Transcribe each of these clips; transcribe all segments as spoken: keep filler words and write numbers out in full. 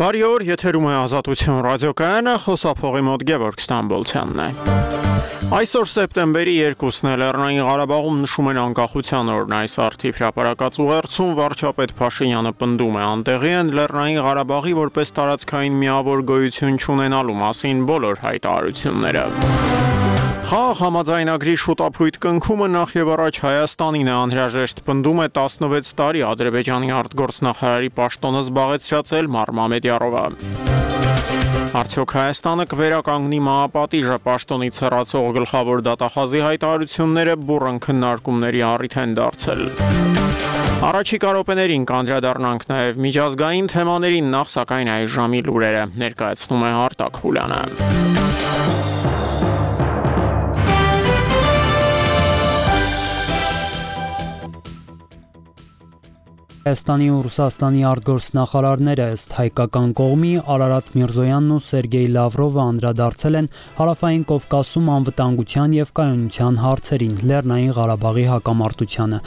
Բարի օր, եթերում է Ազատություն ռադիոկայանը, խոսափողի մոտ Գևորգ Ստամբոլցյանն է։ Այսօր սեպտեմբերի երկուսն է, Լեռնային Ղարաբաղում նշում են անկախության օրն, այս առթիվ հրապարակած ուղերձում վարչապետ Փաշինյանը պնդում է, անտեղի են Լեռնային Ղարաբաղի որպես տարածքային միավոր գոյություն չունենալու մասին բոլոր հայտարարությունները։ Խաղ համաձայնագրի շուտապույտ կնքումը նախ եւ առաջ Հայաստանին է, անհրաժեշտ պնդում է տասնվեց տարի Ադրբեջանի արտգործնախարարի պաշտոնը զբաղեցրած Մարմամեդյարովը։ Արդյոք Հայաստանը կվերականգնի մահապատիժը, պաշտոնից հեռացող գլխավոր դատախազի հայտարարությունները բուռն քննարկումների առիթ են դարձել։ Առաջիկա րոպեներին կանդրադառնանք նաև միջազգային թեմաներին, նախ սակայն այս ժամի լուրերը ներկայացնում է Արտակ Խուլյանը։ Հայաստանի ու Ռուսաստանի արտգործնախարարները ըստ հայկական կողմի Արարատ Միրզոյանն ու Սերգեյ Լավրովը անդրադարձել են Հարավային Կովկասում անվտանգության եւ կայունության հարցերին, Լեռնային Ղարաբաղի հակամարտությանը։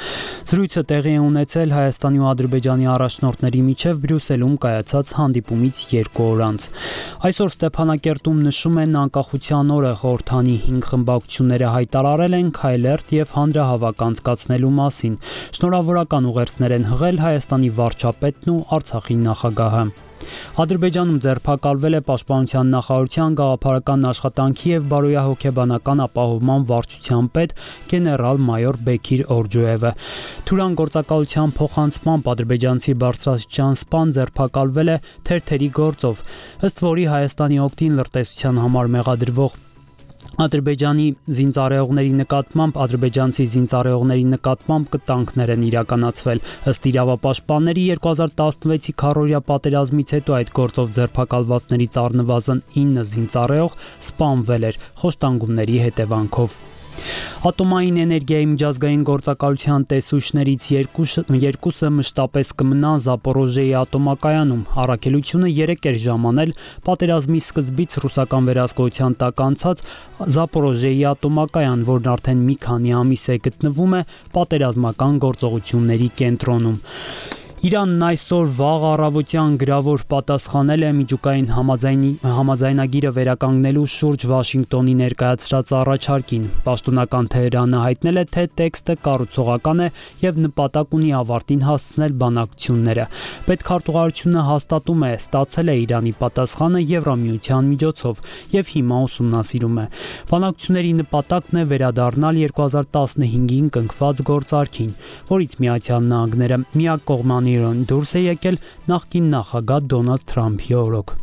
Զրույցը տեղի է ունեցել Հայաստանի ու Ադրբեջանի առաջնորդների միջև Բրյուսելում կայացած հանդիպումից երկու օր անց։ Այսօր Ստեփանակերտում նշում են անկախության օրը, խորհրդանի հինգ խմբակցությունները հայտարարել են քայլերթ եւ հանրահավաք անցկացնելու մասին։ Շնորհավորական ուղերձներ են հղել Հայաստանի վարչապետն ու Արցախի նախագահը։ Ադրբեջանում ձերբակալվել է Պաշտպանության նախարարության գաղափարական աշխատանքի եւ բարոյահոգեբանական ապահովման վարչության պետ գեներալ-մայոր Բեքիր Օրջոևը։ Թուրան գործակալության փոխանցմամբ ադրբեջանցի բարձրաստիճան սպան ձերբակալվել է թերթերի գործով, ըստ որի Հայաստանի օգտին լրտեսության համար մեղադրվող Ադրբեջանի զինծառայողների նկատմամբ ադրբեջանցի զինծառայողների նկատմամբ կտանքներ են իրականացվել։ Ըստ իրավապաշտպանների երկու հազար տասնվեցի քառօրյա պատերազմից հետո այդ գործով ձերբակալվածներից առնվազն ինը զինծառայող սպանվել էր խոշտանգումների հետևանքով։ Ատոմային էներգիայի միջազգային գործակալության տեսուչներից երկուսը մշտապես կմնան Զապորոժեի ատոմակայանում։ Առաքելությունը երեք էր ժամանել պատերազմի սկզբից ռուսական վերահսկողության տակ անցած Զապորոժեի ատոմակայան, որն արդեն մի քանի ամիս է գտնվում է պատերազմական գործողությունների կենտրոնում։ Իրանն այսօր վաղ առավոտյան գրավոր պատասխանել է միջուկային համաձայնագիրը վերականգնելու շուրջ Վաշինգտոնի ներկայացրած առաջարկին։ Պաշտոնական Թեհրանը հայտնել է, թե տեքստը կառուցողական է եւ նպատակ ունի ավարտին հասցնել բանակցությունները։ Պետքարտուղարությունը հաստատում է, ստացել է Իրանի պատասխանը Եվրամիության միջոցով եւ հիմա ուսումնասիրում է։ Բանակցությունների նպատակն է վերադառնալ երկու հազար տասնհինգին կնքված գործարքին, որից Միացյալ Նահանգները միակողմանի դուրս է եկել նախկին նախագահ Դոնալդ Թրամփի օրոք։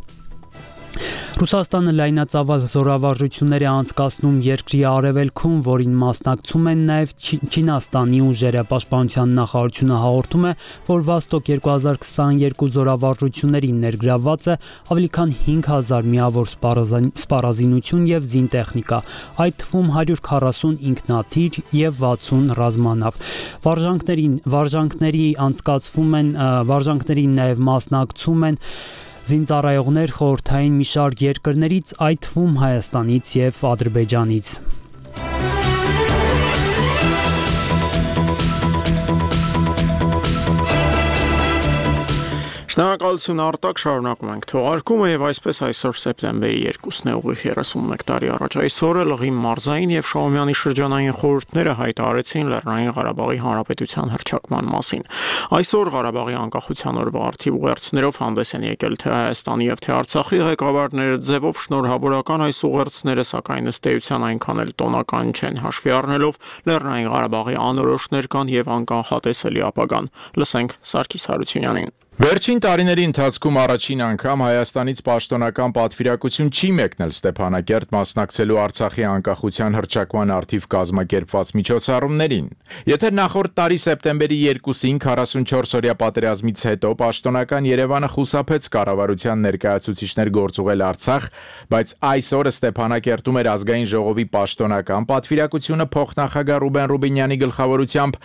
Ռուսաստանը լայնածավալ զորավարժություններ է անցկացնում երկրի արևելքում, որին մասնակցում են նաև Չինաստանի ուժերը։ Պաշտպանության նախարարությունը հաղորդում է, որ Վոստոկ երկու հազար քսաներկու զորավարժություններին ներգրավված է ավելի քան հինգ հազար միավոր սպառազինություն եւ զինտեխնիկա, այդ թվում հարյուր քառասուն ինքնաթիռ եւ վաթսուն ռազմանավ։ Վարժանքներին վարժանքների անցկացվում են վարժանքներին նաև մասնակցում են զինծառայողներ խորհրդային մի շարք երկրներից, այդ թվում Հայաստանից եւ Ադրբեջանից։ Շնորհակալություն Արտակ, շարունակում ենք թողարկումը եւ այսպես այսօր սեպտեմբերի երկուսն է, ուղիղ երեսունմեկ տարի առաջ այսօրը Լղի մարզային եւ Շահումյանի շրջանային խորհուրդները հայտարարեցին Լեռնային Ղարաբաղի Հանրապետության հռչակման մասին։ Այսօր Ղարաբաղի անկախության օրվա արդիվ ուղերձներով հանդես են եկել թե Հայաստանի եւ թե Արցախի ղեկավարները, ձևով շնորհավորական այս ուղերձները, սակայն ըստ էության այնքան էլ տոնական չեն, հաշվի առնելով Լեռնային Ղարաբաղի անորոշ ներկան եւ անկանխատեսելի ապագան։ Լսենք Սարգիս Հարությունյանին։ Վերջին տարիների ընթացքում առաջին անգամ Հայաստանից պաշտոնական պատվիրակություն չի մեկնել Ստեփանակերտ մասնակցելու Արցախի անկախության հռչակման առթիվ կազմակերպված միջոցառումներին։ Եթե նախորդ տարի սեպտեմբերի երկուսին քառասունչորսօրյա պատերազմից հետո պաշտոնական Երևանը խուսափեց կառավարության ներկայացուցիչներ գործուղել Արցախ, բայց այսօր Ստեփանակերտում էր ազգային ժողովի պաշտոնական պատվիրակությունը փոխնախագահ Ռուբեն Ռուբինյանի գլխավորությամբ,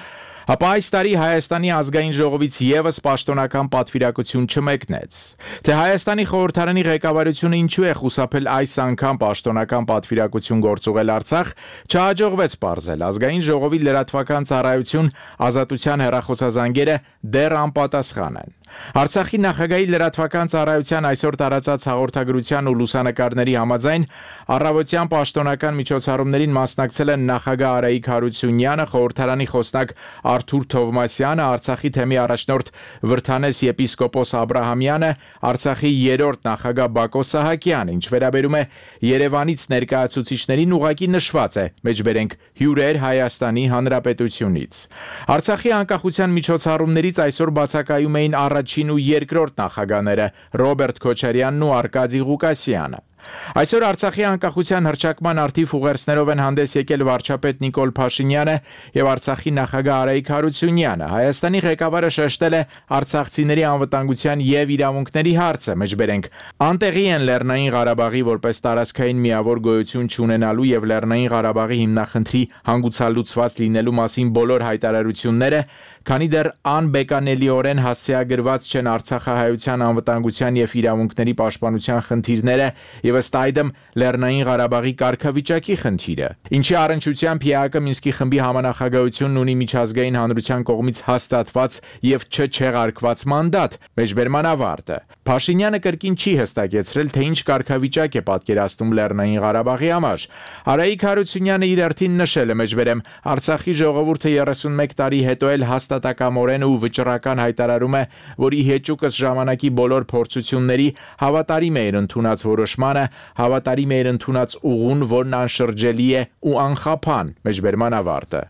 ապա այս տարի Հայաստանի ազգային ժողովից եւս պաշտոնական պատվիրակություն չմեկնեց։ Թե Հայաստանի խորհրդարանի ղեկավարությունը ինչու է խուսափել այս անգամ պաշտոնական պատվիրակություն գործուղել Արցախ, չհաջողվեց պարզել։ Ազգային ժողովի լրատվական ծառայություն Ազատության հեռախոսազանգերը դեռ անպատասխան են։ Արցախի նախագահի լրատվական ծառայության այսօր տարածած հաղորդագրության ու լուսանկարների համաձայն առավոտյան պաշտոնական միջոցառումներին մասնակցել են նախագահ Արայիկ Հարությունյանը, խորհրդարանի խոսնակ Արթուր Թովմասյանը, Արցախի թեմի առաջնորդ Վրթանես եպիսկոպոս Աբրահամյանը, Արցախի երրորդ նախագահ Բակո Սահակյանը։ Ինչ վերաբերում է Երևանից ներկայացուցիչներին, ուղղակի նշված է մեջբերենք հյուրեր Հայաստանի Հանրապետությունից։ Արցախի անկախության միջոցառումներից այսօր բացակայում էին առաջին ու երկրորդ նախագահները Ռոբերտ Քոչարյանն ու Արկադի Ղուկասյանը։ Այսօր Արցախի անկախության հռչակման արդիվ ուղերձներով են հանդես եկել վարչապետ Նիկոլ Փաշինյանը եւ Արցախի նախագահ Արայիկ Հարությունյանը։ Հայաստանի ղեկավարը շեշտել է արցախցիների անվտանգության եւ իրավունքների հարցը, մեջբերենք անտեղի են Լեռնային Ղարաբաղի որպես տարածքային միավոր գոյություն չունենալու եւ Լեռնային Ղարաբաղի հիմնախնդրի հանգուցալուծված լինելու մասին բոլոր հայտարարությունները, քանի դեռ անբեկանելիորեն հասցեագրված չեն Արցախահայության անվտանգության եւ իրավունքների պաշտպանության խնդիրները եւ ըստ այդմ Լեռնային Ղարաբաղի կարգավիճակի խնդիրը, ինչի առնչությամբ ՀԱԿ Մինսկի խմբի համանախագահությունն ունի միջազգային հանրության կողմից հաստատված եւ չչեղարկված մանդատ, մեջբերման ավարտը։ Փաշինյանը կրկին չի հստակեցրել, թե ինչ կարգավիճակ է պատկերացնում Լեռնային Ղարաբաղի համար։ Արայիկ Հարությունյանը իր արդին նշել է, մեջբերեմ Արցախի ժողովուրդը երեսունմեկ տարի հետո էլ հաստատակամորեն ու վճռական հայտարարում է, որ ի հեճուկս ժամանակի բոլոր փորձությունների հավատարիմ է իր ընդունած որոշմանը, հավատարիմ է իր ընդունած ուղուն, որն անշրջելի է ու անխափան, մեջբերման ավարտը։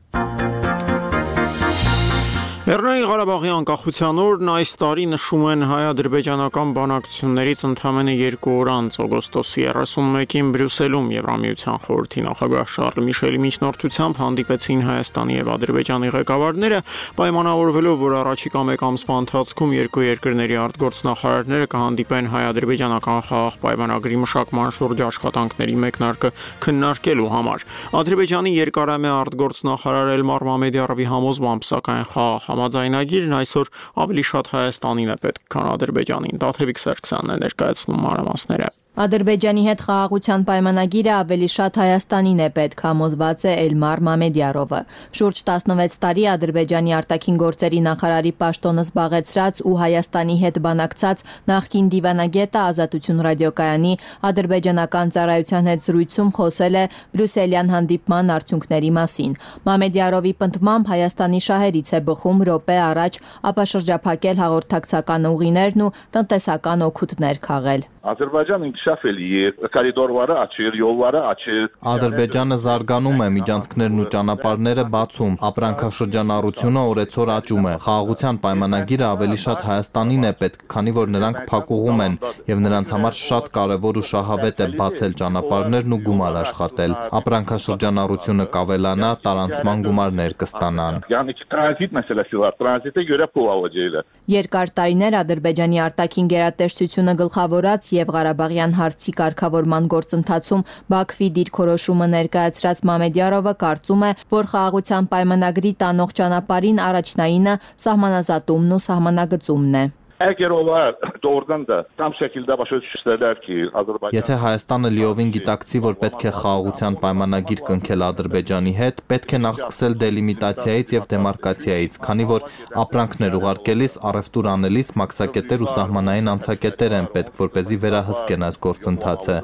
Լեռնային Ղարաբաղի անկախության օրն այս տարի նշում են հայ-ադրբեջանական բանակցություններից ընդամենը երկու օր անց օգոստոսի երեսունմեկին Բրյուսելում Եվրամիության խորհրդի նախագահ Շարլ Միշելի միջնորդությամբ հանդիպեցին Հայաստանի եւ Ադրբեջանի ղեկավարները, պայմանավորվելով, որ առաջիկա մեկ ամսվա ընթացքում երկու երկրների արտգործնախարարները կհանդիպեն հայ-ադրբեջանական խաղաղ պայմանագրի մշակման շուրջ աշխատանքների մեկնարկը քննարկելու համար։ Ադրբեջանի երկարամյա արտգործնախարար Էլմար Մամեդյարովի համոզմամբ, սակայն խաղաղ համաձայնագիրն այսօր ավելի շատ Հայաստանին է պետք, քան Ադրբեջանին։ Տաթևիկ Սարգսյանն է ներկայացնում մանրամասները։ Ադրբեջանի հետ խաղաղության պայմանագիրը ավելի շատ Հայաստանին է պետք, համոզված է Էլմար Մամեդյարովը։ Շուրջ տասնվեց տարի Ադրբեջանի արտաքին գործերի նախարարի պաշտոնը զբաղեցրած ու Հայաստանի հետ բանակցած նախկին դիվանագետը Ազատություն ռադիոկայանի ադրբեջանական ծառայության հետ զրույցում խոսել է բրյուսելյան հանդիպման արդյունքների մասին։ Մամեդյարովի պնդմամբ Հայաստանի շահերից է բխում րոպե առաջ ապաշրջափակել հաղորդակցական ուղիներն ու տնտեսական օգուտներ քաղել։ Ադրբեջանը ինքշաֆելի է, կորիդորները աչեր, յոլները աչեր։ Ադրբեջանը զարգանում է, միջանցքներն ու ճանապարհները բացում, ապրանքաշրջանառությունը օրեցօր աճում է։ Խաղաղության պայմանագիրը ավելի շատ Հայաստանին է պետք, քանի որ նրանք փակուղում են եւ նրանց համար շատ կարեւոր ու շահավետ է բացել ճանապարհներն ու գումար աշխատել։ Ապրանքաշրջանառությունը կավելանա, տարանցման գումարներ կստանան։ Yani tranzit meselesi var. Tranzite göre pul alacağıyla. Երկար տարիներ Ադրբեջանի արտաքին գերատեսչությունը գլխավորած եւ Ղարաբաղյան հարցի կարգավորման գործընթացում Բաքվի դիրքորոշումը ներկայացրած Մամեդյարովը կարծում է, որ խաղաղության պայմանագրի տանող ճանապարհին առաջնայինը սահմանազատումն ու սահմանագծումն է։ Eğer onlar doğrudan da tam şekilde başa düşürseler ki Azerbaycan Եթե Հայաստանը լիովին գիտակցի, որ պետք է խաղաղության պայմանագիր կնքել Ադրբեջանի հետ, պետք է նախ սկսել դելիմիտացիայից եւ դեմարկացիայից, քանի որ ապրանքներ ուղարկելիս, առևտուր անելիս մաքսակետեր ու սահմանային անցակետեր են պետք, որպեսզի վերահսկեն այս գործընթացը։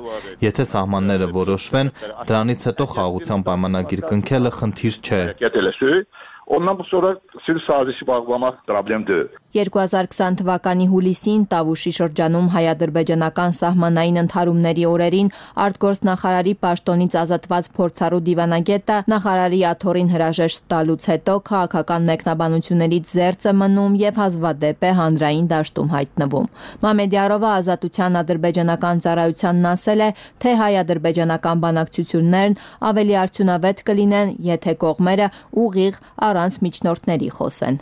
Եթե սահմանները որոշվեն, դրանից հետո խաղաղության պայմանագիր կնքելը խնդիր չէ։ Ondan bu sonra sivil sazişi bağlamak problem değil. երկու հազար քսան թվականի հուլիսին Տավուշի շրջանում հայ-ադրբեջանական սահմանային ընդհարումների օրերին արտգործնախարարի պաշտոնից ազատված փորձառու դիվանագետը նախարարի աթոռին հրաժեշտ տալուց հետո քաղաքական մեկնաբանություններից զերծ է մնում եւ հազվադեպ է հանրային դաշտում հայտնվում։ Մամեդյարովը Ազատության ադրբեջանական ծառայությանն ասել է, թե հայ-ադրբեջանական բանակցություններն ավելի արդյունավետ կլինեն, եթե կողմերը ուղիղ առանց միջնորդների խոսեն։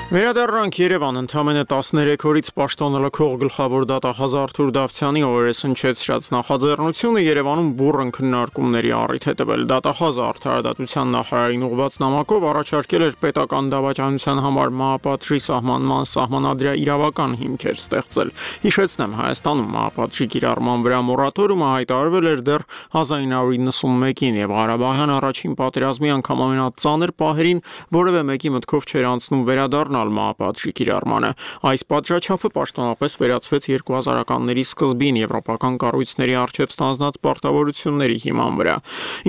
Վերադառնանք Երևան, ընդամենը տասներեք օրից պաշտոնը լքող գլխավոր դատախազ Արթուր Դավթյանի օրերս հնչեցրած նախաձեռնությունը Երևանում բուռն քննարկումների առիթ է տվել։ Դատախազը արդարադատության նախարարին ուղղված նամակով առաջարկել էր պետական դավաճանության համար մահապատժի սահմանման սահմանադրյա իրավական հիմքեր ստեղծել։ Հիշեցնեմ, Հայաստանում մահապատժի կիրառման վրա մորատորիումը հայտարարվել էր դեռ հազար ինը հարյուր նվաթ եւ Ղարաբաղյան առաջին պատերազմի անգամ ամենածանր պահերին որևէ մեկի մտքով չէր անցնում վերադառնալ մահապատժի կիրառմանը։ Այս պատժաչափը պաշտոնապես վերացվեց երկու հազարականների սկզբին եվրոպական կառույցների առջև ստանձնած պարտավորությունների հիման վրա։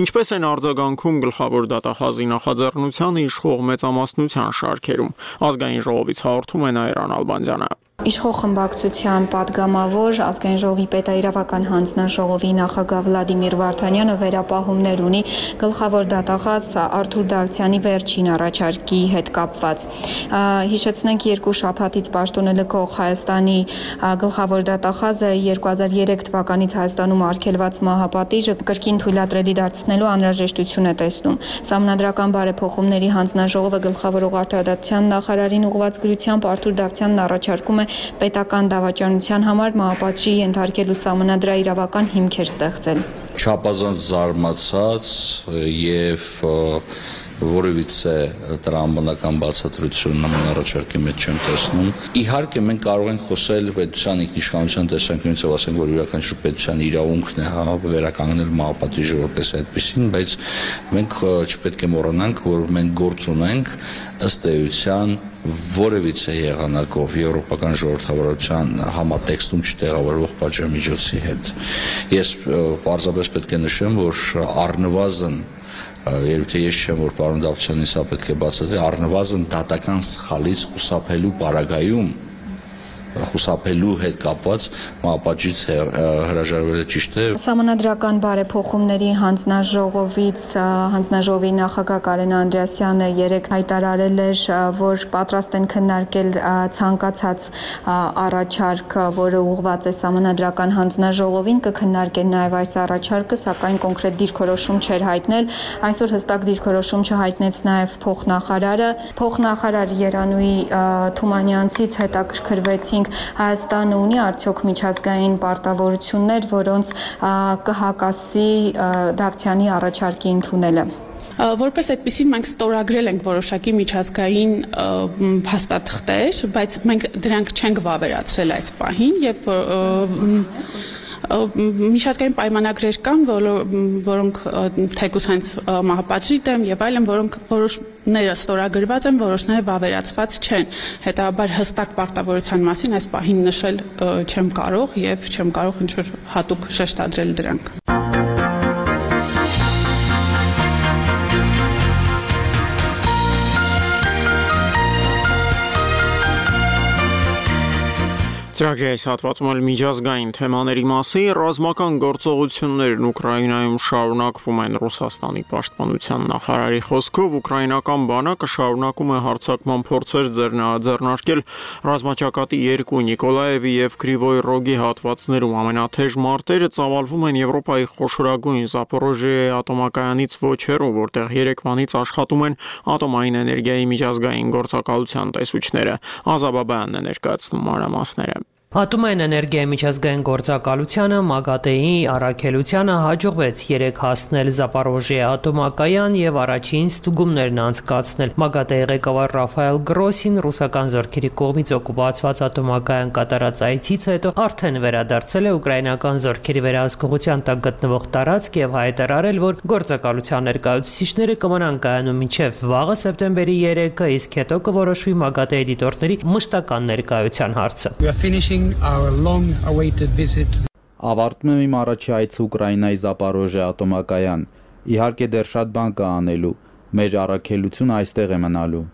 Ինչպես են արձագանքում գլխավոր դատախազի նախաձեռնությանը իշխող մեծամասնության շարքերում։ Ազգային ժողովից հաղորդում է Նաիրան Ալբանդյանը։ Իշխող խմբակցության падգամավոր ազգային ժողովի պետաիրավական հանձնաժողովի նախագահ Վլադիմիր Վարդանյանը վերապահումներ ունի գլխավոր դատախազ Արթուր Դավթյանի վերջին առաջարկի հետ կապված։ Հիշեցնենք, երկու շաբաթից պաշտոնը լքող Հայաստանի գլխավոր դատախազը երկու հազար երեք թվականից Հայաստանում արգելված մահապատիժը կրկին թույլատրելի դարձնելու անհրաժեշտություն է տեսնում։ Սահմանադրական բարեփոխումների հանձնաժողովը գլխավորող արդարադատության նախարարին ուղղված գրությամբ Արթուր Դավթյանն առաջարկում է պետական դավաճանության համար մահապատժի ենթարկելու սահմանադրաիրավական հիմքեր ստեղծել։ Չափազանց զարմացած եւ որևիցե տրամաբանական բացատրություն նման առաջարկի մեջ չեմ տեսնում։ Իհարկե մենք կարող ենք խոսել պետության ինքնիշխանության տեսանկյունից եւ ասենք, որ յուրաքանչյուր պետության իրավունքն է հա վերականգնել մահապատիժը որպես այդպեսին, բայց մենք չպետք է մոռանանք, որ մենք գործ ունենք ըստ էության որևիցե եղանակով եվրոպական ժողովրդավարության համատեքստում չտեղավորվող պատժամիջոցի հետ։ Ես պարզապես պետք է նշեմ, որ առնվազն երբ թե ես չեմ, որ պարոն Դավթյանին սա պետք է բացատրի, առնվազն դատական սխալից խուսափելու պարագայում խուսափելու հետ կապված մահապատժից հրաժարվելը ճիշտ է։ Սահմանադրական բարեփոխումների հանձնաժողովից հանձնաժողովի նախագահ Կարեն Անդրեասյանը երեկ հայտարարել էր, որ պատրաստ են քննարկել ցանկացած առաջարկ, որը ուղղված է սահմանադրական հանձնաժողովին, կքննարկեն նաև այս առաջարկը, սակայն կոնկրետ դիրքորոշում չէր հայտնել։ Այսօր հստակ դիրքորոշում չհայտնեց նաև փոխնախարարը։ Փոխնախարար Երանուհի Թումանյանցից հետաքրքրվեցին Հայաստանը ունի արդյոք միջազգային պարտավորություններ, որոնց կհակասի Դավթյանի առաջարկի ընդունելը։ Որպես այդպեսին մենք ստորագրել ենք որոշակի միջազգային փաստաթղթեր, բայց մենք դրանք չենք վավերացրել այս պահին եւ միջազգային պայմանագրեր կան, որոնք թեկուզ հենց մահապատժի դեմ եւ այլն, որոնք որոշները ստորագրված են, որոշները վավերացված չեն։ Հետաբար հստակ պարտավորության մասին այս պահին նշել չեմ կարող եւ չեմ կարող ինչ-որ հատուկ շեշտադրել դրանք։ Ծրագրի այս հատվածում էլ միջազգային թեմաների մասին ռազմական գործողություններն Ուկրաինայում շարունակվում են Ռուսաստանի պաշտպանության նախարարի խոսքով ուկրաինական բանակը շարունակում է հարձակման փորձեր ձեռնարկել ռազմաճակատի երկու Նիկոլաևի եւ Կրիվոյ Ռոգի հատվածներում ամենաթեժ մարտերը ծավալվում են Եվրոպայի խոշորագույն Զապորոժիե ատոմակայանից ոչ հեռու, որտեղ Երևանից աշխատում են ատոմային էներգիայի միջազգային գործակալության տեսուչները։ Ազաբաբյանն է ներկայացնում մանրամասները։ Ատոմային էներգիայի միջազգային գործակալությանը ՄԱԳԱՏԷ-ի առաքելությանը հաջողվեց երեկ հասնել Զապորոժիե ատոմակայան եւ առաջին ստուգումներն անցկացնել։ ՄԱԳԱՏԷ-ի ղեկավար Ռաֆայել Գրոսին ռուսական զորքերի կողմից օկուպացված ատոմակայան կատարած այցից հետո արդեն վերադարձել է ուկրաինական զորքերի վերահսկողության տակ գտնվող տարածք եւ հայտարարել, որ գործակալության ներկայացուցիչները կմնան կայանում մինչեւ վաղը սեպտեմբերի երեքը, իսկ հետո կորոշվի ՄԱԳԱՏԷ-ի դիտորդների մշտական ներկայության հարցը։ Ավարտում եմ իմ առաջի այցը Ուկրաինայի Զապորոժիե ատոմակայան։ Իհարկե դեռ շատ բան կա անելու։ Մեր առաքելությունը այստեղ է մնալու։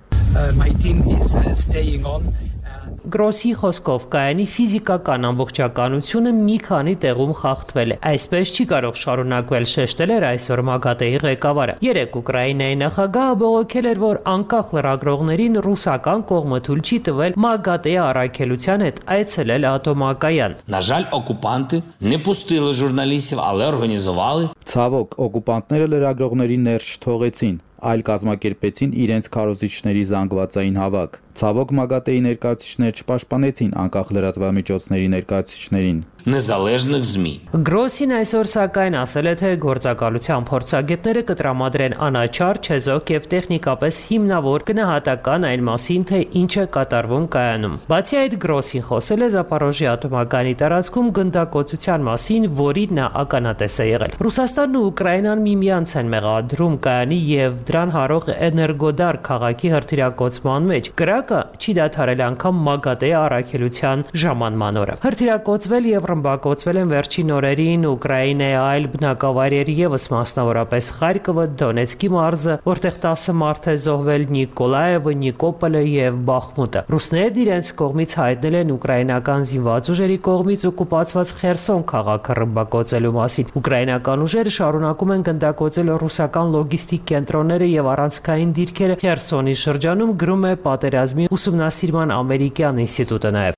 Գրոսի խոսքով կայանի ֆիզիկական ամբողջականությունը մի քանի տեղում խախտվել է։ Այսպես չի կարող շարունակվել, շեշտել էր այսօր ՄԱԳԱՏԷ-ի ղեկավարը։ Երեկ Ուկրաինայի նախագահը բողոքել էր, որ անկախ լրագրողներին ռուսական կողմը թույլ չի տվել ՄԱԳԱՏԷ-ի առաքելության հետ այցելել ատոմակայան։ На жаль, окупанти не пустили журналістів, але організували Ցավոք, օկուպանտները լրագրողներին ներս չթողեցին, այլ կազմակերպեցին իրենց քարոզիչների զանգվածային հավաք։ Ցավոք ՄԱԳԱՏԷ-ի ներկայացուցիչները չպաշտպանեցին անկախ լրատվամիջոցների ներկայացուցիչներին։ Незалежних ЗМІ։ Գրոսին այսօր սակայն ասել է, թե գործակալության փորձագետները կտրամադրեն անաչառ, չեզոք եւ տեխնիկապես հիմնավոր գնահատական այն մասին, թե ինչ է կատարվում կայանում։ Բացի այդ, Գրոսին խոսել է Զապարոժի ատոմակայանի տարածքում գնդակոծության մասին, որի նա ականատես է եղել։ Ռուսաստանն ու Ուկրաինան միմյանց են մեղադրում կայանի եւ դրան հարող Էներգոդար քաղաքի հրթիռակոծման մեջ։ Կրակը չի դադարել անգամ ՄԱԳԱՏԷ-ի առաքելության ժամանման օրը։ Հրթիռակոծվել եւ ռմբակոծվել են վերջին օրերին Ուկրաինայի այլ բնակավայրեր եւս, մասնավորապես Խարկովը, Դոնեցկի մարզը, որտեղ տասը մարդ է զոհվել, Նիկոլաևը, Նիկոպոլը եւ Բախմուտը։ Ռուսներն իրենց կողմից հայտնել են ուկրաինական զինված ուժերի կողմից օկուպացված Խերսոն քաղաքը ռմբակոծելու մասին։ Ուկրաինական ուժերը շարունակում են գնդակոծել ռուսական լոգիստիկ կենտրոնները եւ առանցքային դիրքերը Խերսոնի շրջանում, գրում է Պատերազմի ուսումնասիրման ամերիկյան ինստիտուտը նաեւ։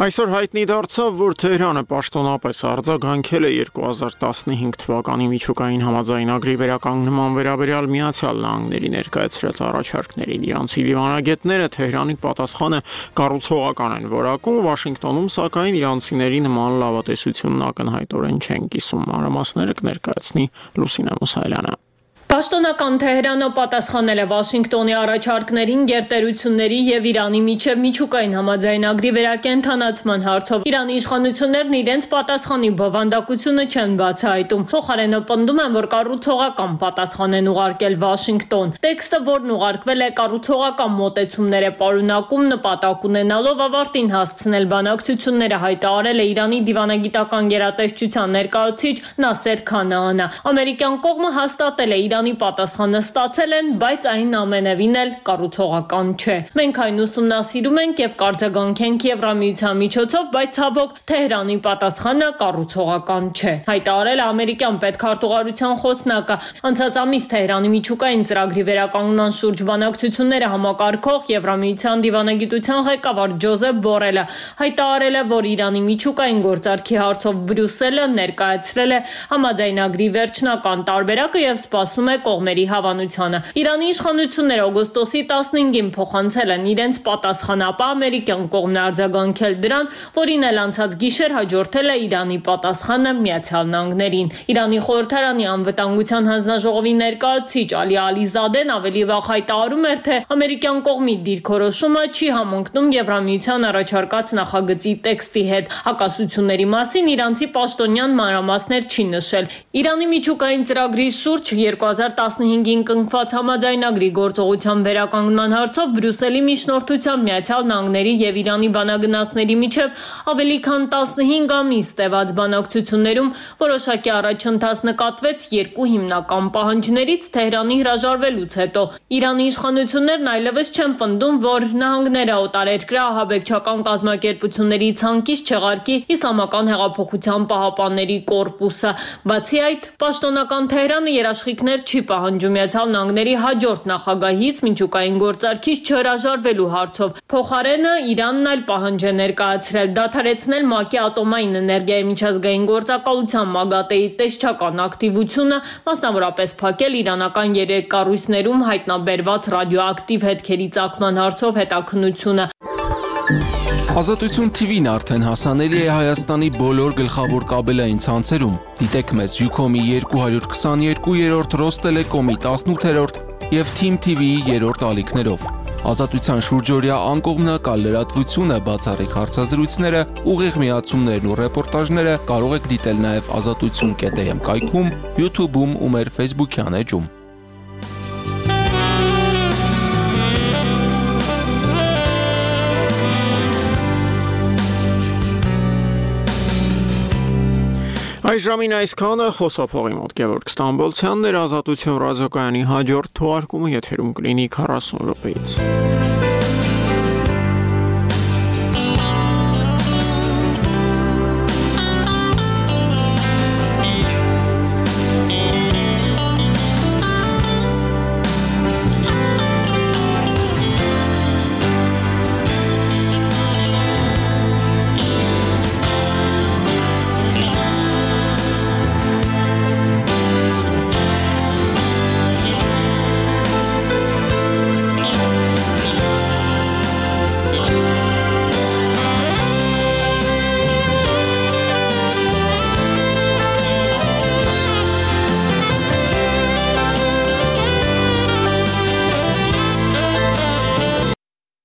Այսօր հայտնի դարձավ, որ Թեհրանը պաշտոնապես արձագանքել է երկու հազար տասնհինգ թվականի միջուկային համաձայնագրի վերականգնման վերաբերյալ Միացյալ Նահանգների ներկայացրած առաջարկներին։ Իրանցի դիվանագետները Թեհրանի պատասխանը կառուցողական են որակում, Վաշինգտոնում սակայն իրանցիների նման լավատեսությունն ակնհայտորեն չեն կիսում։ Մանրամասները կներկայացնի Լուսինե Մուսայելյանը։ Պաշտոնական Թեհրանը պատասխանել է Վաշինգտոնի առաջարկներին գերտերությունների եւ Իրանի միջև միջուկային համաձայնագրի վերակենդանացման հարցով։ Իրանի իշխանություններն իրենց պատասխանի բովանդակությունը չեն բացահայտում։ Փոխարենը պնդում են, որ կառուցողական պատասխան են ուղարկել Վաշինգտոն։ Տեքստը, որն ուղարկվել է կառուցողական մոտեցումներ է պարունակում, նպատակ ունենալով ավարտին հասցնել բանակցությունները, հայտարարել է Իրանի դիվանագիտական գերատեսչության ներկայացուցիչ Նասեր Քանաանը։ Ամերիկյան կողմը հաստատել է Իրանի պատասխանը ստացել են, բայց այն ամենևին էլ կառուցողական չէ։ Մենք այն ուսումնասիրում ենք եւ կարձագանքենք Եվրամիության միջոցով, բայց ցավոք Թեհրանի պատասխանը կառուցողական չէ, հայտարարել է ամերիկյան պետքարտուղարության խոսնակը։ Անցած ամիս Թեհրանի միջուկային ծրագրի վերականգնման շուրջ բանակցությունները համակարգող Եվրամիության դիվանագիտության ղեկավար Ջոզեփ Բորելը հայտարարել է, որ Իրանի միջուկային գործարքի հարցով Բրյուսելը ներկայացրել է համաձայնագրի վերջնական տարբերակը եւ սպասում է կողմերի հավանությանը։ Իրանի իշխանությունները օգոստոսի տասնհինգին փոխանցել են իրենց պատասխանը, ապա ամերիկյան կողմն արձագանքել դրան, որին էլ անցած գիշեր հաջորդել է Իրանի պատասխանը Միացյալ Նահանգներին։ Իրանի խորհրդարանի անվտանգության հանձնաժողովի ներկայացուցիչ Ալի Ալիզադեն ավելի վաղ հայտարարում էր, թե ամերիկյան կողմի դիրքորոշումը չի համընկնում Եվրամիության առաջարկած նախագծի տեքստի հետ։ Հակասությունների մասին իրանցի պաշտոնյան մանրամասներ չի նշել։ Իրանի միջուկային ծրագրի շուրջ երկու հազար տասնհինգին կնքված համաձայնագրի գործողության վերականգնման հարցով Բրյուսելի միջնորդությամբ Միացյալ Նահանգների եւ Իրանի բանագնացների միջև ավելի քան տասնհինգ ամիս տևած բանակցություններում որոշակի առաջընթաց նկատվեց երկու հիմնական պահանջներից Թեհրանի հրաժարվելուց հետո։ Իրանի իշխանություններն այլևս չեն պնդում, որ նահանգները օտարերկրյա ահաբեկչական կազմակերպությունների ցանկից չեղարկի Իսլամական հեղափոխության պահապանների կորպուսը։ Բացի այդ, պաշտոնական Թեհրանը երաշխիքներ չի պահանջում Միացյալ Նահանգների հաջորդ նախագահից միջուկային գործարքից չհրաժարվելու հարցով։ Փոխարենը Իրանն այլ պահանջ է ներկայացրել՝ դադարեցնել ՄԱԿ-ի ատոմային էներգիայի միջազգային գործակալության ՄԱԳԱՏԷ-ի տեսչական ակտիվությունը, մասնավորապես փակել իրանական երեք կառույցներում հայտնաբերված ռադիոակտիվ հետքերի ծագման հարցով հետաքննությունը։ Ազատություն թիվին արդեն հասանելի է Հայաստանի բոլոր գլխավոր կաբելային ցանցերում։ Դիտեք մեզ Ucom-ի երկու հարյուր քսաներկու երրորդ, Ռոստելեկոմի տասնութերորդ եւ Team T V-ի երրորդ ալիքներով։ Ազատության շուրջօրյա անկողմնակալ լրատվությունը, բացառիկ հարցազրույցները, ուղիղ միացումներն ու ռեպորտաժները կարող եք դիտել նաեւ ազատություն կետ am կայքում, YouTube-ում ու մեր Facebook-յան էջում։ Այս ժամին այսքանը, խոսափողի մոտ Գևորգ Ստամբոլցյանն էր, Ազատություն ռադիոկայանի հաջորդ թողարկումը եթերում կլինի քառասուն րոպեից։